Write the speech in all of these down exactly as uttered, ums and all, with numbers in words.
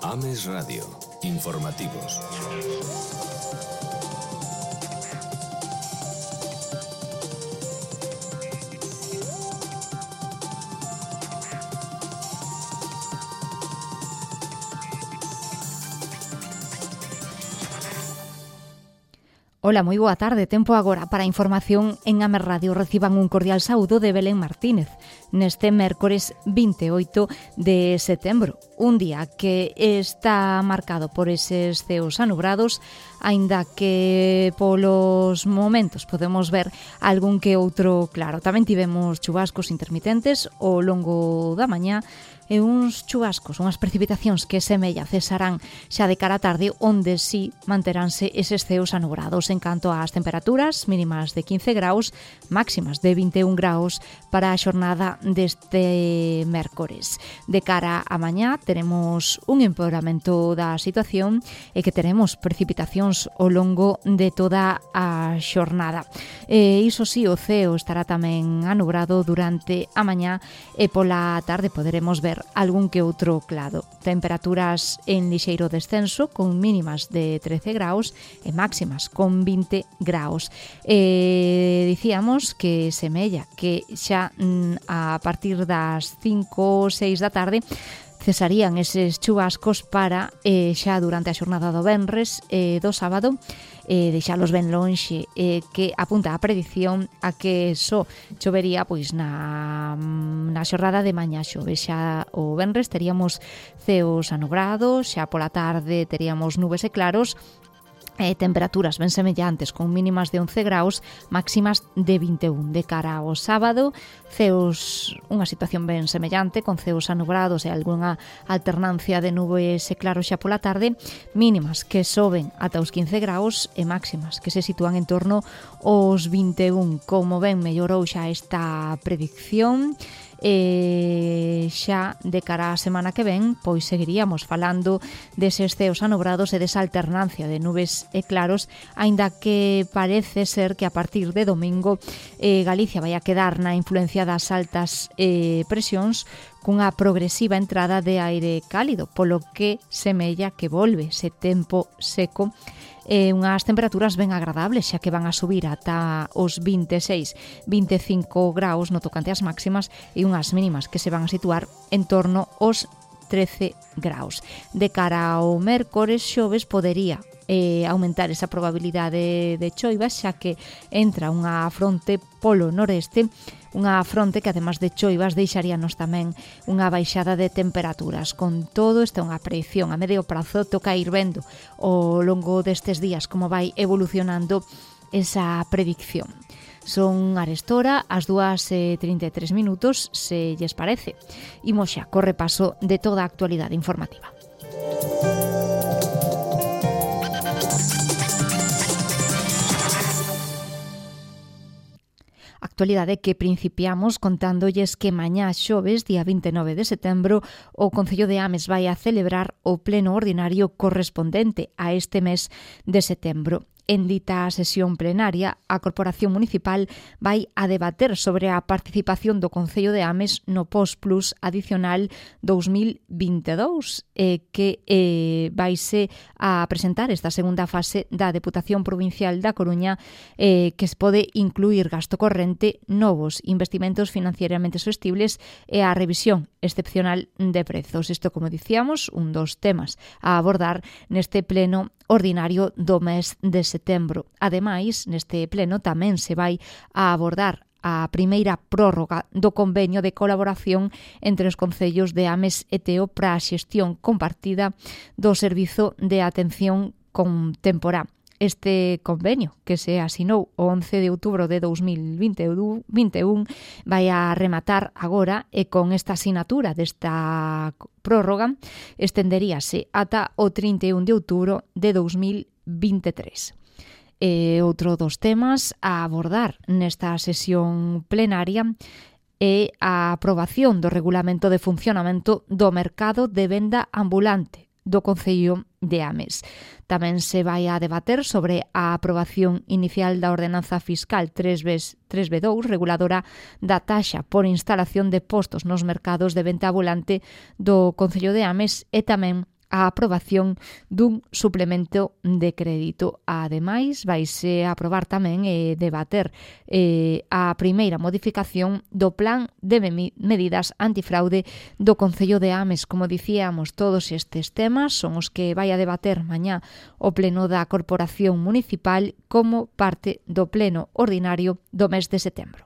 Ames Radio. Informativos. Ola, moi boa tarde. Tempo agora para a información en Ames Radio. Reciban un cordial saúdo de Belén Martínez neste mércores vinte e oito de setembro, un día que está marcado por eses ceos anubrados, aínda que polos momentos podemos ver algún que outro claro. Tamén tivemos chubascos intermitentes ao longo da mañá e uns chubascos, unhas precipitacións que semella cesarán xa de cara á tarde, onde sí manteránse eses ceos anubrados. En canto ás temperaturas, mínimas de quince graus, máximas de vinte e un graus para a xornada deste mércores. De cara a mañá teremos un empeoramento da situación e que teremos precipitacións ao longo de toda a xornada. E iso sí, o ceo estará tamén anubrado durante a mañá e pola tarde poderemos ver algún que outro claro. Temperaturas en lixeiro descenso con mínimas de trece graus e máximas con vinte graus. E dicíamos que semella que xa mm, a partir das cinco ou seis da tarde cesarían eses chubascos para eh, xa durante a xornada do venres e eh, do sábado eh, deixalos ben lonxe, eh, que apunta a predición a que só chovería pois na, na xornada de mañá. Xove xa o venres teríamos ceos anubrados, xa pola tarde teríamos nubes e claros, Eh, temperaturas ben semellantes con mínimas de once graus, máximas de vinte e un. De cara ao sábado, ceos, unha situación ben semellante con ceos anubrados e algunha alternancia de nubes e claros xa pola tarde, mínimas que soben ata os quince graus e máximas que se sitúan en torno aos vinte e un. Como ben mellorou xa esta predicción, e xa de cara á semana que ven pois seguiríamos falando deses ceos anubrados e desa alternancia de nubes e claros, aínda que parece ser que a partir de domingo eh, Galicia vai a quedar na influencia das altas eh, presións cunha progresiva entrada de aire cálido, polo que semella que volve ese tempo seco e unhas temperaturas ben agradables, xa que van a subir ata os vinte e seis, vinte e cinco graus no tocante ás máximas e unhas mínimas que se van a situar en torno aos trece graus. De cara ao mércores xoves podería eh, aumentar esa probabilidade de choivas, xa que entra unha fronte polo noreste, unha fronte que además de choivas deixaríanos tamén unha baixada de temperaturas. Con todo, esta é unha predicción a medio prazo, toca ir vendo ao longo destes días como vai evolucionando esa predicción. Son arestora as dúas e trinta e tres minutos, se lles parece. Imos xa co repaso de toda a actualidade informativa. Actualidade que principiamos contándolles que mañá xoves, día vinte e nove de setembro, o Concello de Ames vai a celebrar o pleno ordinario correspondente a este mes de setembro. En dita sesión plenaria, a Corporación Municipal vai a debater sobre a participación do Concello de Ames no Postplus adicional dous mil vinte e dous, eh, que eh, vaise a presentar esta segunda fase da Deputación Provincial da Coruña, eh, que se pode incluir gasto corrente, novos investimentos financieramente sostibles e a revisión excepcional de prezos. Isto, como dicíamos, un dos temas a abordar neste pleno ordinario do mes de setembro. Ademais, neste pleno tamén se vai a abordar a primeira prórroga do convenio de colaboración entre os concellos de Ames e Teo para a xestión compartida do servizo de atención contemporá. Este convenio, que se asinou o once de outubro de dous mil vinte e un, vai a rematar agora e con esta asinatura desta prórroga estenderíase ata o trinta e un de outubro de dous mil vinte e tres. E outro dos temas a abordar nesta sesión plenaria é a aprobación do regulamento de funcionamento do mercado de venda ambulante do Concello de Ames. Tamén se vai a debater sobre a aprobación inicial da ordenanza fiscal tres B dous, reguladora da taxa por instalación de postos nos mercados de venta ambulante do Concello de Ames, e tamén a aprobación dun suplemento de crédito. Ademais, vaise aprobar tamén e debater eh, a primeira modificación do plan de medidas antifraude do Concello de Ames. Como dicíamos, todos estes temas son os que vai a debater mañá o Pleno da Corporación Municipal como parte do Pleno Ordinario do mes de setembro.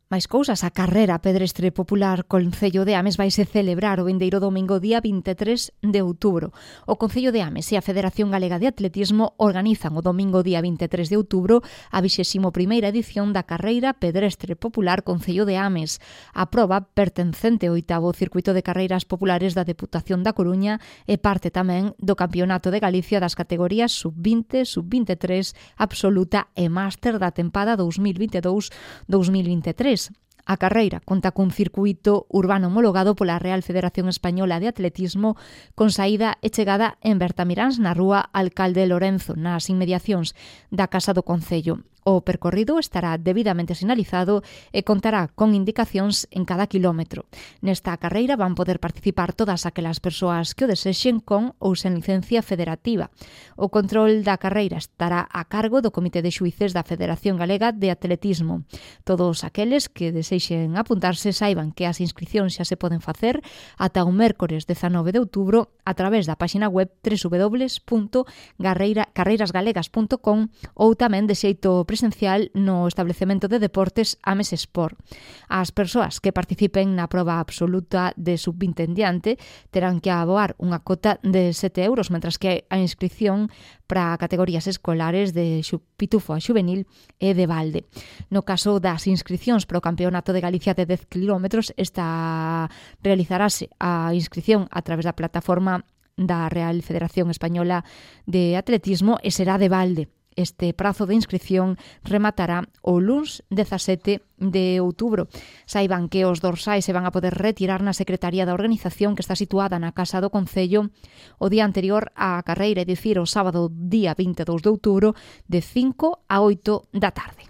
Máis cousas, a carrera pedestre popular Concello de Ames vaise celebrar o vindeiro domingo día vinte e tres de outubro. O Concello de Ames e a Federación Galega de Atletismo organizan o domingo día vinte e tres de outubro a vixésima primeira edición da carreira pedestre popular Concello de Ames. A proba, pertencente ao oitavo circuito de carreiras populares da Deputación da Coruña, é parte tamén do Campeonato de Galicia das categorías sub vinte, sub vinte e tres, absoluta e máster da tempada dos mil vinte e dous dos mil vinte e tres. A carreira conta cun circuito urbano homologado pola Real Federación Española de Atletismo con saída e chegada en Bertamiráns na rúa Alcalde Lorenzo, nas inmediacións da Casa do Concello. O percorrido estará debidamente sinalizado e contará con indicacións en cada quilómetro. Nesta carreira van poder participar todas aquelas persoas que o desexen con ou sen licencia federativa. O control da carreira estará a cargo do Comité de Xuíces da Federación Galega de Atletismo. Todos aqueles que desexen apuntarse saiban que as inscricións xa se poden facer ata o mércores dezanove de outubro a través da páxina web doble u doble u doble u punto carreiras galegas punto com ou tamén de xeito presencial no establecemento de deportes Ames Sport. As persoas que participen na proba absoluta de sub vinte en diante terán que aboar unha cota de sete euros, mentras que a inscripción para categorías escolares de pitufo a xuvenil e de balde. No caso das inscripcións para o Campeonato de Galicia de dez kilómetros, esta realizarase a inscripción a través da plataforma da Real Federación Española de Atletismo e será de balde. Este prazo de inscripción rematará o luns dezasete de outubro. Saiban que os dorsais se van a poder retirar na Secretaría da Organización, que está situada na Casa do Concello, o día anterior á carreira, é dicir, o sábado día vinte e dous de outubro, de cinco a oito da tarde.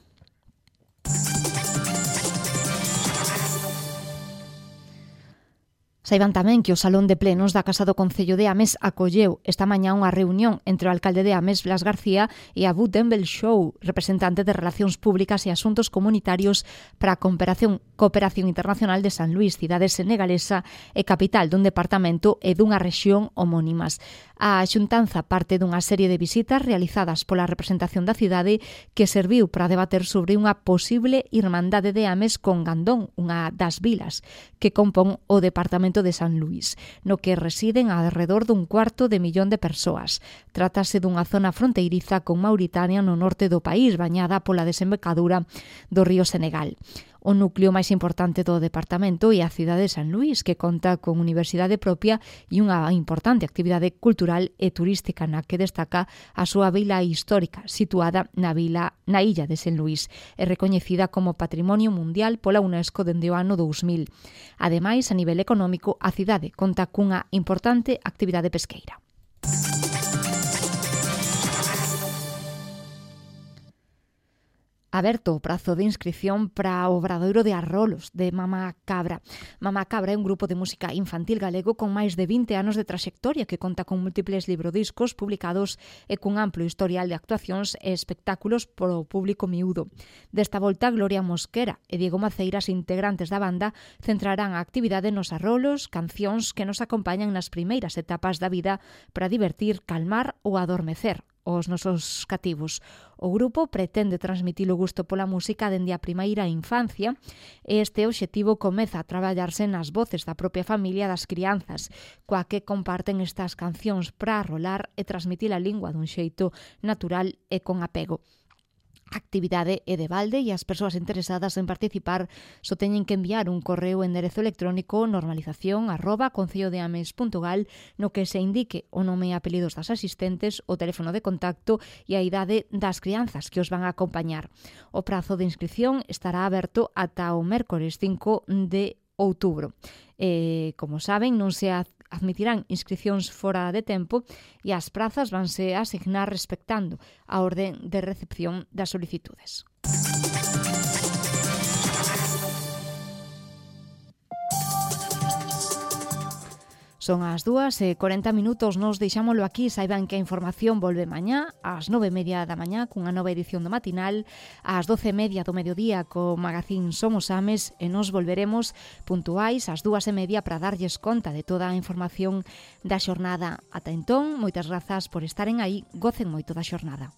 Saiban tamén que o Salón de Plenos da Casa do Concello de Ames acolleu esta mañá unha reunión entre o alcalde de Ames, Blas García, e a Butenbel Show, representante de Relacións Públicas e Asuntos Comunitarios para a Cooperación, Cooperación Internacional de San Luís, cidade senegalesa e capital dun departamento e dunha rexión homónimas. A xuntanza parte dunha serie de visitas realizadas pola representación da cidade que serviu para debater sobre unha posible irmandade de Ames con Gandón, unha das vilas que compón o departamento de San Luís, no que residen alrededor dun cuarto de millón de persoas. Trátase dunha zona fronteiriza con Mauritania no norte do país, bañada pola desembocadura do río Senegal. O núcleo máis importante do departamento é a cidade de San Luís, que conta con universidade propia e unha importante actividade cultural e turística na que destaca a súa vila histórica, situada na vila na illa de San Luís, e recoñecida como Patrimonio Mundial pola UNESCO dende o ano dous mil. Ademais, a nivel económico, a cidade conta cunha importante actividade pesqueira. Aberto o prazo de inscripción para o Obradoiro de Arrolos de Mamá Cabra. Mamá Cabra é un grupo de música infantil galego con máis de vinte anos de traxectoria que conta con múltiples librodiscos publicados e cun amplo historial de actuacións e espectáculos para o público miúdo. Desta volta, Gloria Mosquera e Diego Maceiras, integrantes da banda, centrarán a actividade nos arrolos, cancións que nos acompañan nas primeiras etapas da vida para divertir, calmar ou adormecer os nosos cativos. O grupo pretende transmitir o gusto pola música dende a primeira infancia e este obxectivo comeza a traballarse nas voces da propia familia das crianzas, coa que comparten estas cancións para arrolar e transmitir a lingua dun xeito natural e con apego. A actividade é de balde e as persoas interesadas en participar só teñen que enviar un correo en enderezo electrónico normalización arroba concellodeames punto gal no que se indique o nome e apelidos das asistentes, o teléfono de contacto e a idade das crianzas que os van a acompañar. O prazo de inscripción estará aberto ata o mércores cinco de outubro. E, como saben, non se admitirán inscricións fora de tempo e as prazas vanse asignar respectando a orde de recepción das solicitudes. Son as dúas e corenta minutos, nos deixámolo aquí. Saiban que a información volve mañá ás nove e media da mañá cunha nova edición do matinal, ás doce e media do mediodía co magazín Somos Ames, e nos volveremos puntuais ás dúas e media para darlles conta de toda a información da xornada. Ata entón, moitas grazas por estaren aí, gocen moito da xornada.